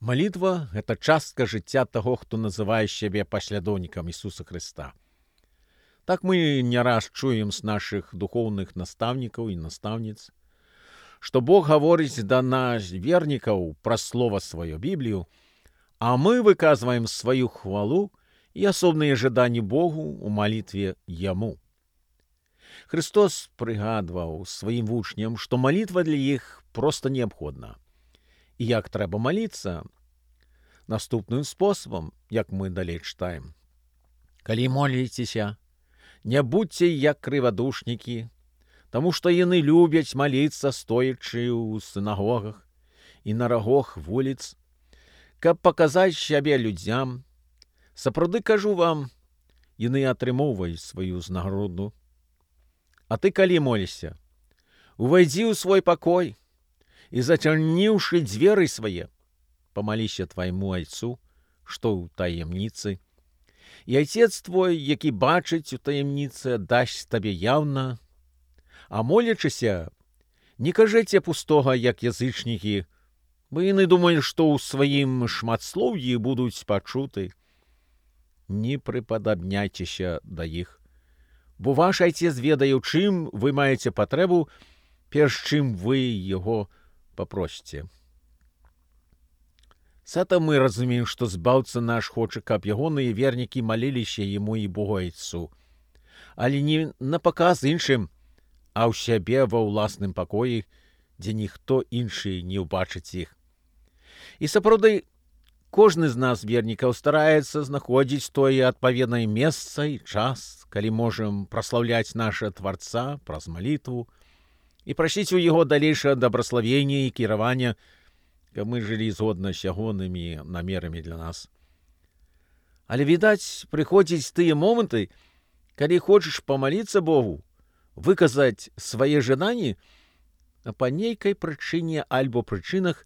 Малітва – гэта частка жыцця таго, хто называе сябе паслядоўнікам Ісуса Хрыста. Так мы не раз чуем з нашых духоўных настаўнікаў і настаўніц, што Бог гаворыць да нас, вернікаў, праз слова сваё Біблію, а мы выказваем сваю хвалу і асобныя жаданні Богу ў малітве Яму. Христос прыгадваў сваім вучням, што малітва для іх проста неабходна. І як трэба маліцца? Наступным спосабам, як мы далей чытаем. Калі моліцеся, не будьце як крывадушнікі, таму што яны любяць маліцца, стоячы ў сінагогах і на рагах вуліц, каб паказаць сябе людзям. Сапраўды кажу вам, яны атрымоўваюць сваю ўзнагароду. А ты калі молішся? Увайдзі ў свой пакой і, зачыніўшы дзверы свае, памаліся твайму айцу, што ў таемніцы, і айцец твой, які бачыць у таемніцы, дасць табе яўна. А молячыся, не кажыце пустога, як язычнікі, бо яны думаюць, што ў сваім шматслоўі будуць пачуты. Не прыпадабняйцеся да іх, бо ваш айцец ведае, у чым вы маеце патрэбу, перш чым вы яго папросіце. З этого мы разумеем, што збаўца наш хоча, каб ягоныя вернікі маліліся яму і Богу айцу, але не на паказ іншым, а ў сябе ва ўласным пакоі, дзе ніхто іншы не ўбачыць іх. І сапраўды, кожны з нас, вернікаў, стараецца знаходзіць тое адпаведнае месца і час, калі можам праслаўляць наша Тварца праз малітву і прасіць у яго далейшае дабраславення і кіравання, каб мы жылі згодна з ягонымі намерамі для нас. Але, відаць, прыходзяць тыя моманты, калі хочаш памаліцца Богу, выказаць свае жаданні, а па нейкай прычыне альбо прычынах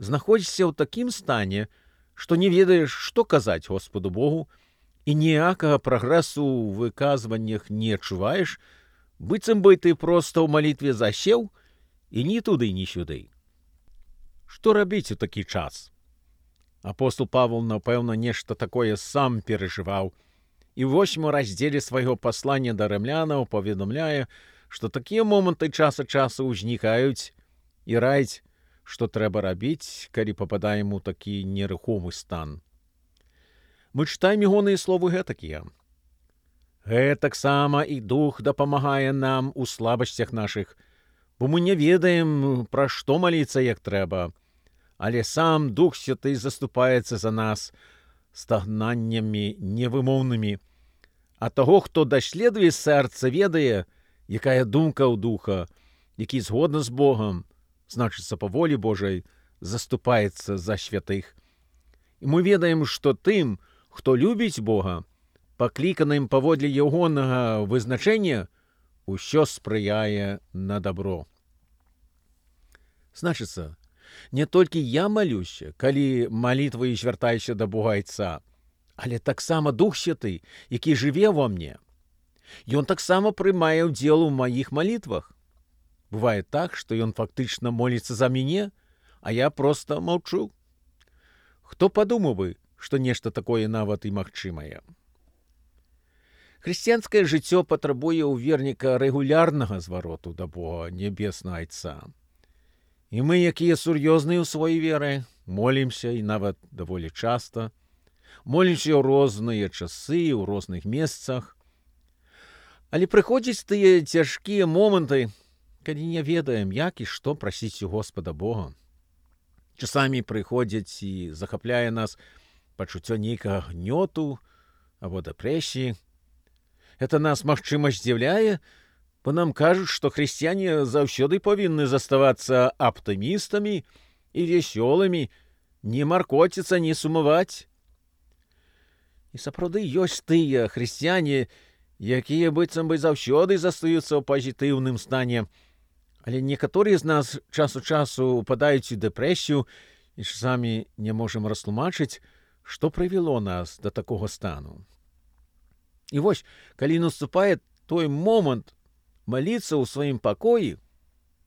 знаходзішся ў такім стане, што не ведаеш, што казаць Господу Богу, і ніякага прагрэсу ў выказваннях не адчуваеш, быццам бы ты проста ў малітве засеў і ні туды, ні сюды. Што рабіць у такі час? Апостол Павел, напэўна, нешта такое сам перажываў, і ў 8 раздзеле свайго паслання да рымлянаў паведамляе, што такія моманты час ад часу ўзнікаюць і раіць, што трэба рабіць, калі пападаем у такі нерухомы стан. Мы чытаем ягоныя словы гэтакія. Гэтаксама і Дух дапамагае нам у слабасцях нашых, бо мы не ведаем, пра што маліцца як трэба, але сам Дух Святы заступаецца за нас стагнаннямі невымоўнымі, а таго, хто даследуе сэрца, ведае, якая думка ў Духа, які згодна з Богам, значыцца па волі Божай, заступаецца за святых. І мы ведаем, што тым, хто любіць Бога, пакліканым паводле ягонага вызначэння, усё спрыяе на дабро. Значыцца, не толькі я малюся, калі малітваю звяртаюся да Бога айца, але таксама Дух Святы, які жыве ва мне. Ён таксама прымае ўдзел у маіх малітвах. Бывае так, што ён фактычна моліцца за мяне, а я проста маўчу. Хто падумаў бы, што нешта такое нават і магчымае? Хрысціянскае жыццё патрабуе ў верніка рэгулярнага звароту да Бога нябеснага айца. І мы, якія сур'ёзныя ў сваёй веры, молімся і нават даволі часта, молімся ў розныя часы, ў розных месцах. Але прыходзяць тыя цяжкія моманты, калі не ведаем, як і што прасіць у Господа Бога. Часамі прыходзяць і захапляе нас пачуццё нейкага гнёту або дэпрэсіі. Гэта нас, магчыма, здзіўляе, бо нам кажуць, што хрысціяне заўсёды павінны заставацца аптымістамі і весёлымі, не маркоціцца, не сумаваць. І сапраўды ёсць тыя хрысціяне, якія быццам бы заўсёды застаюцца ў пазітыўным стане, але некаторыя з нас час у часу упадаюць у дэпрэсію і часамі не можам растлумачыць, што прывяло нас да такога стану. І вось, калі наступае той момант маліцца ў сваім пакоі,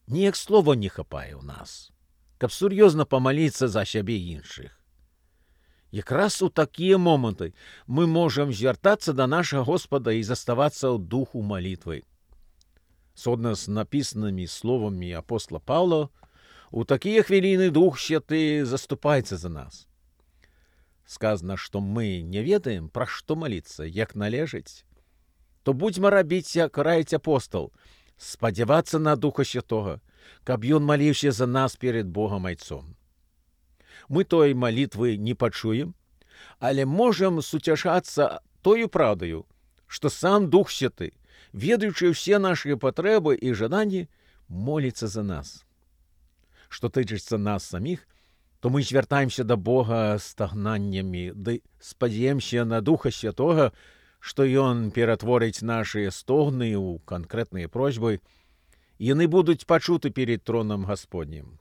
ніяк слова не хапае ў нас, каб сур'ёзна памаліцца за сябе іншых. Якраз у такія моманты мы можам звяртацца да нашага Господа і заставацца ў духу малітвы. Згодна з напісанымі словамі апостола Паўла, у такія хвіліны Дух Святы заступаецца за нас. Сказано, што мы не ведаем, пра што маліцца, як належыць, то будзьма рабіць, як раіць апостол, спадзявацца на Духа Святога, каб ён маліўся за нас перед Богам Айцом. Мы той малітвы не пачуем, але можам суцяшацца тою праўдаю, што сам Дух Святы, ведаючы ўсе нашыя патрэбы і жаданні, моліцца за нас. Што тычыцца нас саміх, то мы звяртаемся да Бога стагнаннямі, ды спадзеемся на Духа Святога, што Ён ператворыць нашыя стогны ў канкрэтныя просьбы, і яны будуць пачуты перед тронам Гасподнім.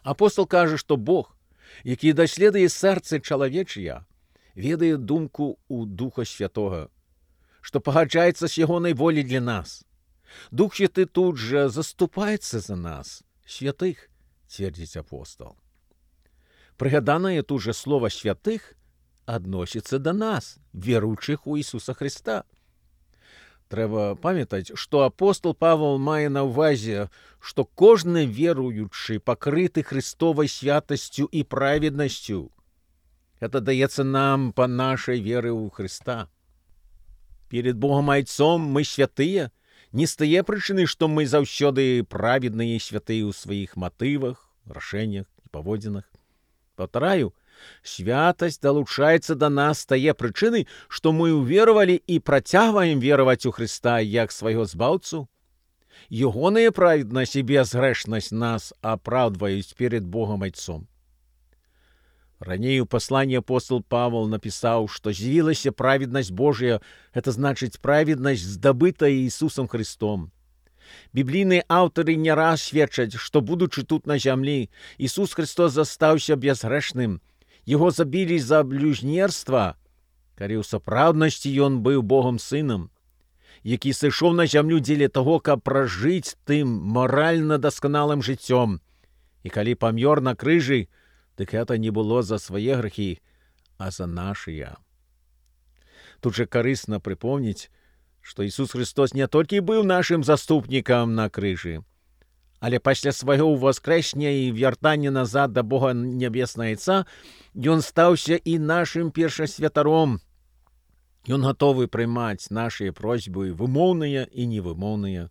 Апостол кажа, што Бог, які даследуе сэрцы чалавечыя, ведае думку ў Духа Святога, што пагаджаецца з ягонай волі для нас. Дух Святы тут жа заступаецца за нас, святых, цвердзіць апостол. Прыгаданае тут жа слова «святых» адносіцца да нас, веруючых у Ісуса Христа. Трэба памятаць, што апостол Павел мае на ўвазе, што кожны веруючы пакрыты Христовай святасцю і праведнасцю. Гэта даецца нам па нашай веры ў Христа. Перед Богом Айцом мы святыя, не з тае прычыны, што мы заўсёды праведныя і святыя ў сваіх матывах, рашэннях і паводзінах. Паўтараю, святасць далучаецца да нас з тае прычыны, што мы ўверавалі і працягваем вераваць у Хрыста як свайго збаўцу. Ягоная праведнасць і безгрэшнасць нас апраўдваюць перед Богом Айцом. Раней у пасланні апостол Павел напісаў, што з'явілася праведнасць Божая, гэта значыць праведнасць, здабытая Ісусам Христом. Біблійныя аўтары не раз сведчаць, што, будучы тут на зямлі, Ісус Христос застаўся безгрэшным. Яго забілі за блюзнерства, калі ў сапраўднасці ён быў Богом Сынам, які сышоў на зямлю дзеля таго, каб пражыць тым маральна дасканалым жыццём. І калі памёр на крыжы, дык гэта не было за свае грахі, а за нашыя. Тут жа карысна прыпомніць, што Ісус Христос не толькі быў нашым заступнікам на крыжы, але пасля свайго ўваскрэсення і вяртання назад да Бога Нябеснага Айца ён стаўся і нашым першасвятаром. Ён гатовы прымаць нашыя просьбы вымоўныя і невымоўныя.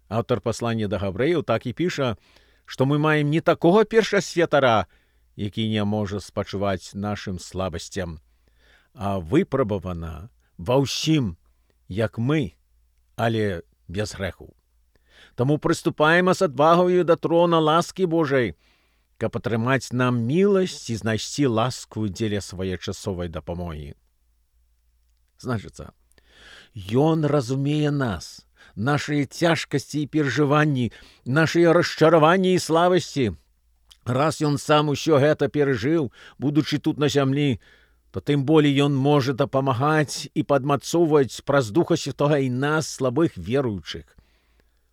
Аўтар паслання да габрэяў так і піша, што мы маем не такога першасвятара, які не можа спачуваць нашым слабасцям, а выпрабавана ва ўсім, як мы, але без грэху. Таму прыступаем з адвагаю да трона ласкі Божай, каб атрымаць нам міласць і знайсці ласку дзеля своечасовай дапамогі. Значыцца, Ён разумее нас, нашыя цяжкасці і перажыванні, нашыя расчараванні і слабасці. Раз Ён сам усё гэта перажыў, будучы тут на зямлі, то тым болей Ён можа дапамагаць і падмацоўваць праз Духа Святога і нас, слабых веруючых.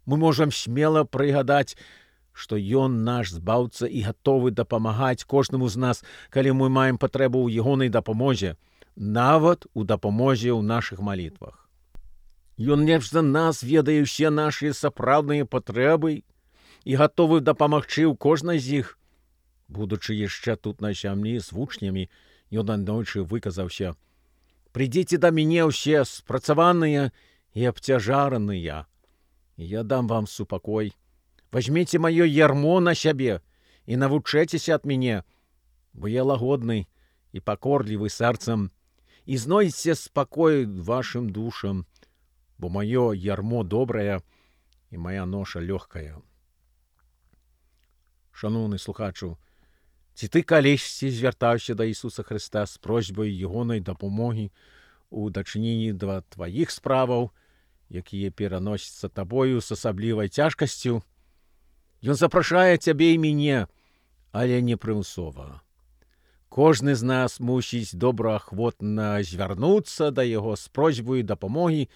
Мы можам смела прыгадаць, што Ён наш збаўца і гатовы дапамагаць кожнаму з нас, калі мы маем патрэбу ў ягонай дапамозе, нават у дапамозе ў нашых малітвах. Ён лепш за нас ведае ўсе нашыя сапраўдныя патрэбы і гатовы дапамагчы ў кожнай з іх. Будучы яшчэ тут на зямлі з вучнямі, ён аднойчы выказаўся: «Прыйдзіце да мяне ўсе спрацаваныя і абцяжараныя, і я дам вам супакой. Вазьміце маё ярмо на сябе і навучэцеся ад мяне, бо я лагодны і пакорлівы сэрцам, і знойдзеце спакой вашым душам, бо маё ярмо добрае і мая ноша лёгкая». Шаноўны слухачу, ці ты калісьці звяртаўся да Ісуса Христа з просьбай ягонай дапамогі у дачыненні да тваіх справаў, якія пераносяцца табою з асаблівай цяжкасцю? Ён запрашае цябе і мяне, але не прымусова. Кожны з нас мусіць добраахвотна звярнуцца да яго з просьбай дапамогі,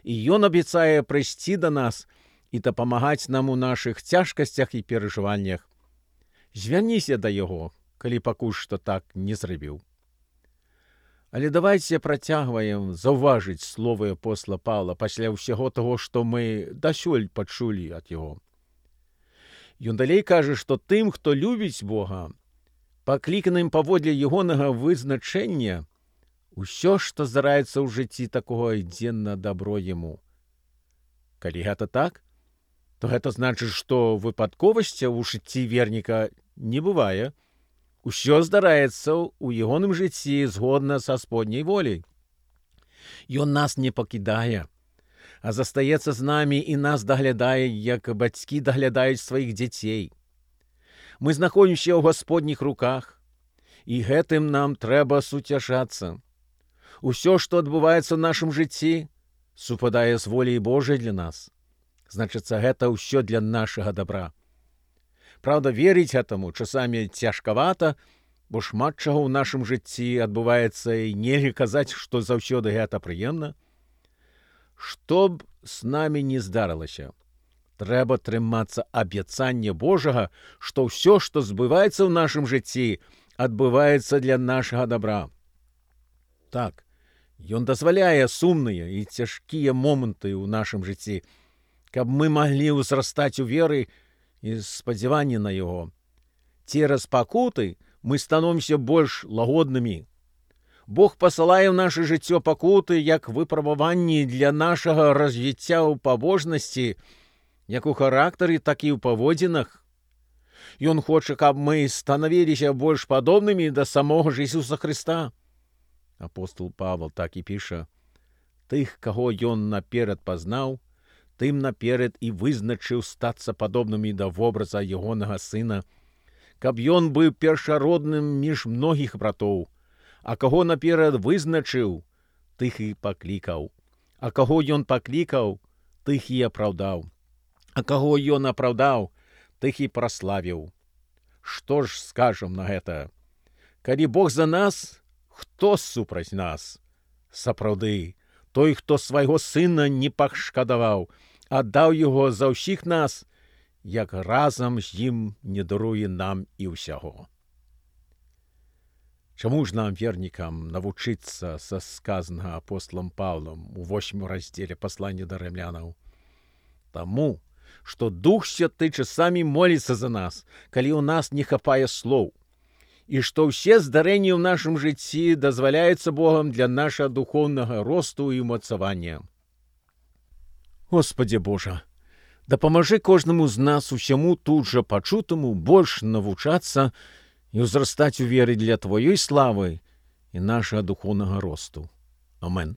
і ён абяцае прыйсці да нас і дапамагаць нам у нашых цяжкасцях і перажываннях. Звярніся да яго, калі пакуль што так не зрабіў. Але давайце працягваем заўважыць словы апостола Паўла пасля ўсяго таго, што мы дасюль пачулі ад яго. Ён далей кажа, што тым, хто любіць Бога, пакліканым паводле ягонага вызначэння, усё, што здараецца ў жыцці такого, ідзе на дабро яму. Калі гэта так, то гэта значыць, што выпадковасця ў жыцці верніка не бывае. Усё здараецца ў ягоным жыцці згодна са сподняй воляй. Ён нас не пакідае, а застаецца з намі і нас даглядае, як бацькі даглядаюць сваіх дзяцей. Мы знаходзімся ў гасподніх руках, і гэтым нам трэба суцяшацца. Усё, што адбываецца ў нашым жыцці, супадае з воляй Божай для нас. Значыцца, гэта ўсё для нашага дабра. Праўда, верыць гэтаму часамі цяжкавата, бо шмат чаго ў нашым жыцці адбываецца, і нельга казаць, што заўсёды гэта прыемна. Што б з намі не здарылася, трэба трымацца абяцання Божага, што ўсё, што збываецца ў нашым жыцці, адбываецца для нашага дабра. Так, ён дазваляе сумныя і цяжкія моманты ў нашым жыцці, каб мы маглі ўзрастаць у веры і спадзяванні на яго. Цераз пакуты мы становімся больш лагоднымі. Бог пасылае ў наша жыццё пакуты як выпрабаванні для нашага развіцця ў пабожнасці, як у характары, так і ў паводзінах. Ён хоча, каб мы станавіліся больш падобнымі да самога ж Ісуса Хрыста. Апостол Павел так і піша: «Тых, каго ён наперад пазнаў, тым наперад і вызначыў стацца падобнымі да вобраза ягонага сына, каб ён быў першародным між многіх братоў, а каго наперад вызначыў, тых і паклікаў, а каго ён паклікаў, тых і апраўдаў, а каго ён апраўдаў, тых і праславіў». Што ж скажам на гэта? Калі Бог за нас, хто супраць нас? Сапраўды, той, хто свайго сына не пашкадаваў, аддаў яго за ўсіх нас, як разам з ім не даруе нам і ўсяго. Чаму ж нам, вернікам, навучыцца са сказанага апостолам Паўлам у 8 раздзеле паслання да рымлянаў? Таму, што Дух Святы часамі моліцца за нас, калі ў нас не хапае слоў, і што ўсе здарэнні ў нашым жыцці дазваляюцца Богам для нашага духоўнага росту і ўмацавання. Господи Божа, дапамажы кожнаму з нас усяму тут жа пачутаму больш навучацца і ўзрастаць у веры для Тваёй славы і нашага духоўнага росту. Амен.